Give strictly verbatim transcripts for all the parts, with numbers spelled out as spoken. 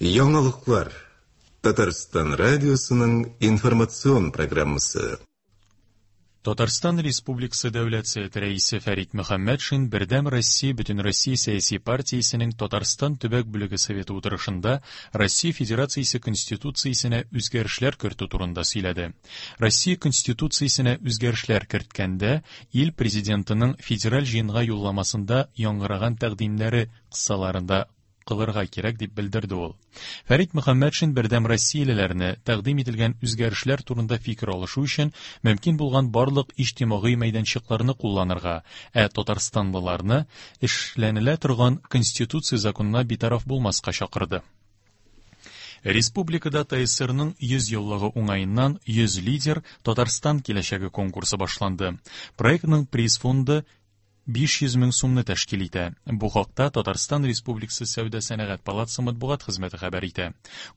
Яңалыклар. Татарстан радиосының информацион программасы. Татарстан Республикасы Дәүләт Советы Рәисе Фәрит Мөхәммәтшин Бердәм Россия Бөтенроссия сәяси партиясенең Татарстан төбәк бүлеге советы утырышында Россия Федерациясе Конституциясенә үзгәрешләр кертү турында сөйләде. Россия Конституциясенә үзгәрешләр керткәндә ил президентының федераль җыенга юлламасында яңгыраган тәкъдимнәре кысаларында кылырга кирәк дип белдерде ул. Фәрит Мөхәммәтшин Бердәм Россиялеләрне тәкъдим ителгән үзгәрешләр турында фикер алышу өчен мөмкин булган барлык иҗтимагый мәйданчыкларны кулланырга, ә татарстанлыларны эшләнелә торган Конституция законына битараф булмаска чакырды. Республикада ТАССРның йөз еллыгы уңаеннан йөз лидер Татарстан киләчәге конкурсы башланды. Проектның приз фонды биш йөз мең сумны тәшкил итә. Бу хакта Татарстан Республикасы Сәүдә сәнәгать палатасы матбугат хезмәте хәбәр итә.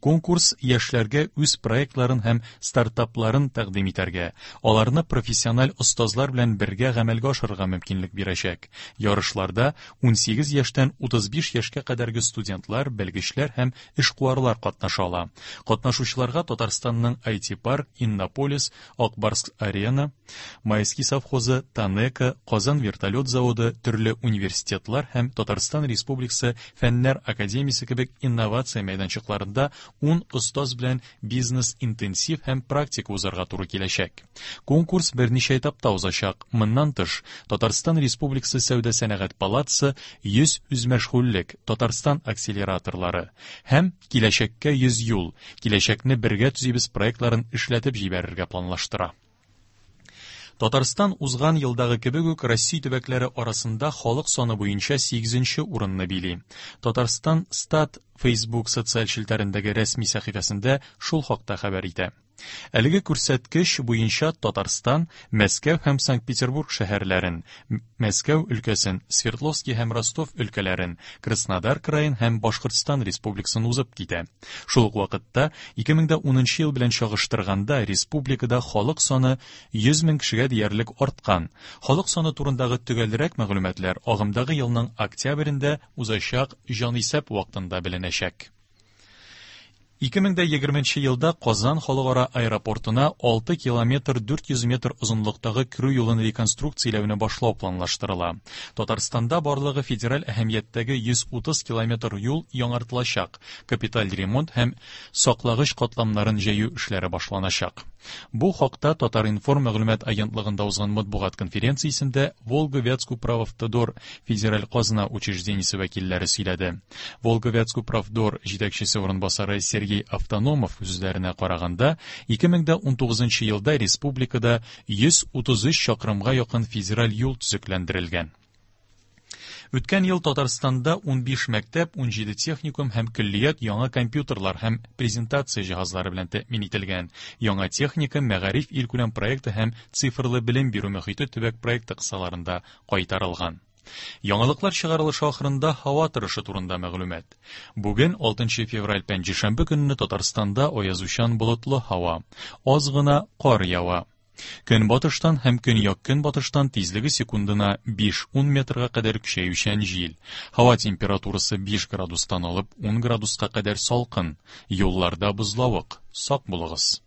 Конкурс яшьләргә үз проектларын һәм стартапларын тәкъдим итәргә, аларны профессиональ остазлар белән бергә гамәлгә ашырырга мөмкинлек бирәчәк. Ярышларда унсигез яшьтән утыз биш яшькә кадәрге студентлар, белгечләр һәм эшкуарлар катнаша ала. Катнашучыларга Татарстанның ай ти парк, Иннополис, Акбарск арена, Майский совхозы, Танека, Казан вертолет заводы, төрле университетлар һәм Татарстан Республикасы Фәннәр академиясе кебек инновация мәйданчыкларында ун остаз белән бизнес-интенсив һәм практика узарга туры киләчәк. Конкурс берничә этапта узачак. Моннан тыш, Татарстан Республикасы Сәүдә сәнәгать палатасы йөз үзмәшгульлек, Татарстан акселераторлары һәм Киләчәккә йөз юл, Киләчәкне бергә төзибез проектларын эшләтеп җибәрергә планлаштыра. Татарстан узган елдагы кебек үк Россия төбәкләре арасында халык саны буенча сигезенче урынны били. Татарстан Стат Facebook социаль челтәрендәге рәсми сәхифәсендә шул хакта хәбәр итә. Әлеге күрсәткеч буенча Татарстан Мәскәү һәм Санкт-Петербург шәһәрләрен, Мәскәү өлкәсен, Свердловский һәм Ростов өлкәләрен, Краснодар краен һәм Башкортстан Республикасын узып китә. Шул ук вакытта ике мең дә унынчы ел белән чагыштырганда республикада халык саны йөз мең кешегә диярлек арткан. Халык саны турындагы төгәлрәк мәгълүматлар агымдагы елның октябрендә узачак җанисәп вакытында беленәчәк. Ике мең дә егерменче елда Казан халыкара аэропортына алты километр дүрт йөз метр озынлыктагы керү юлын реконструкцияләүне башлау планлаштырыла. Татарстанда барлыгы федераль әһәмияттәге йөз утыз километр юл яңартылачак, капиталь ремонт һәм саклагыч катламнарын җәю эшләре башланачак. Бу хакта Татар-информ мәгълүмат агентлыгында узган матбугат конференциясендә Волго-Вятскуправавтодор федераль казна учреждениесе вәкилләре сөйләде. Волго-Вятскуправдор җитәкчесе урынбасары Сергей Автономов сүзләренә караганда, ике мең дә унтугызынчы елда республикада йөз утыз өч чакрымга якын федераль юл төзекләндерелгән. Үткән ел Татарстанда унбиш мәктәп, унҗиде техникум һәм көллият яңа компьютерлар һәм презентация җиһазлары белән тәэмин ителгән. Яңа техника мәгариф илкүләм проекты һәм цифрлы белем бирү мөхите төбәк проекты кысаларында кайтарылган. Яңалыклар чыгарылышы ахырында һава торышы турында мәгълүмат. Бүген алтынчы февраль пәнҗешәмбе көнне Татарстанда аязучан болытлы һава, аз гына кар ява. Көнбатыштан һәм көньяк-көнбатыштан тизлеге секундына биш-ун метрга кадәр көчәючән җил. Һава температурасы биш градустан алып ун градуска кадәр салкын. Юлларда бозлавык. Сак булыгыз.